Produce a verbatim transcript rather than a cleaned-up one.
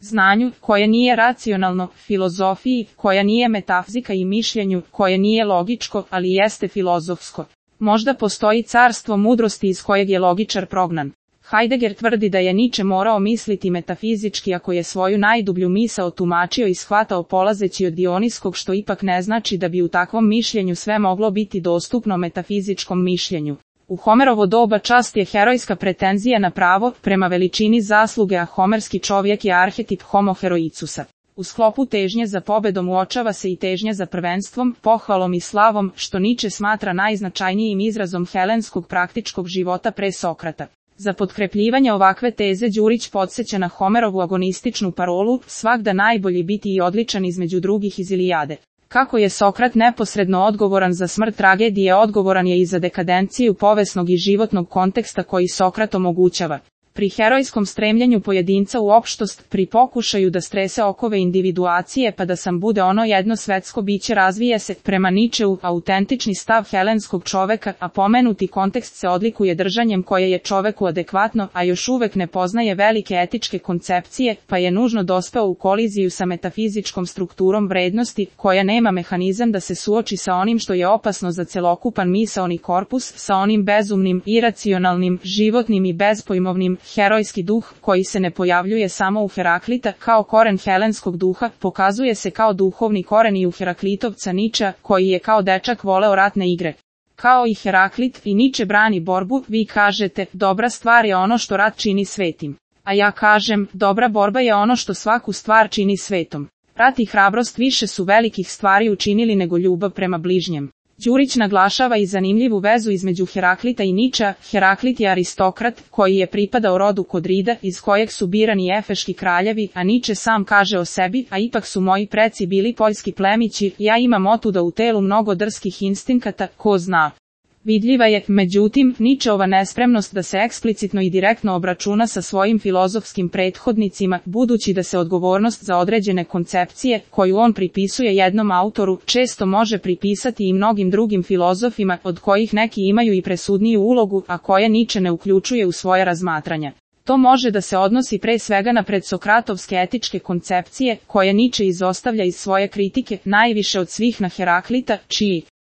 znanju, koje nije racionalno, filozofiji, koja nije metafizika i mišljenju, koje nije logičko, ali jeste filozofsko. Možda postoji carstvo mudrosti iz kojeg je logičar prognan. Heidegger tvrdi da je Nietzsche morao misliti metafizički ako je svoju najdublju misao tumačio i shvatao polazeći od Dioniskog, što ipak ne znači da bi u takvom mišljenju sve moglo biti dostupno metafizičkom mišljenju. U Homerovo doba čast je herojska pretenzija na pravo, prema veličini zasluge, a homerski čovjek je arhetip homo heroicusa. U sklopu težnje za pobedom uočava se i težnja za prvenstvom, pohvalom i slavom, što Nietzsche smatra najznačajnijim izrazom helenskog praktičkog života pre Sokrata. Za potkrepljivanje ovakve teze Đurić podsjeća na Homerovu agonističnu parolu, svagda najbolji biti i odličan između drugih iz Ilijade. Kako je Sokrat neposredno odgovoran za smrt tragedije, odgovoran je i za dekadenciju povesnog i životnog konteksta koji Sokrat omogućava. Pri herojskom stremljenju pojedinca u opštost, pri pokušaju da strese okove individuacije pa da sam bude ono jedno svetsko biće, razvije se, prema Nietzscheu, autentični stav helenskog čoveka, a pomenuti kontekst se odlikuje držanjem koje je čoveku adekvatno, a još uvek ne poznaje velike etičke koncepcije, pa je nužno dospeo u koliziju sa metafizičkom strukturom vrednosti, koja nema mehanizam da se suoči sa onim što je opasno za celokupan misaoni korpus, sa onim bezumnim, iracionalnim, životnim i bezpojmovnim. Herojski duh, koji se ne pojavljuje samo u Heraklita, kao koren helenskog duha, pokazuje se kao duhovni koren i u Heraklitovca Nietzschea, koji je kao dečak voleo ratne igre. Kao i Heraklit, i Nietzsche brani borbu, vi kažete, dobra stvar je ono što rat čini svetim. A ja kažem, dobra borba je ono što svaku stvar čini svetom. Rat i hrabrost više su velikih stvari učinili nego ljubav prema bližnjem. Đurić naglašava i zanimljivu vezu između Heraklita i Nietzschea. Heraklit je aristokrat, koji je pripadao rodu Kodrida, iz kojeg su birani efeški kraljevi, a Nietzsche sam kaže o sebi, a ipak su moji preci bili poljski plemići, ja imam otuda u telu mnogo drskih instinkata, ko zna. Vidljiva je, međutim, Nietzscheova nespremnost da se eksplicitno i direktno obračuna sa svojim filozofskim prethodnicima, budući da se odgovornost za određene koncepcije, koju on pripisuje jednom autoru, često može pripisati i mnogim drugim filozofima, od kojih neki imaju i presudniju ulogu, a koje Nietzsche ne uključuje u svoje razmatranja. To može da se odnosi pre svega na predsokratovske etičke koncepcije, koje Nietzsche izostavlja iz svoje kritike, najviše od svih na Heraklita, čiji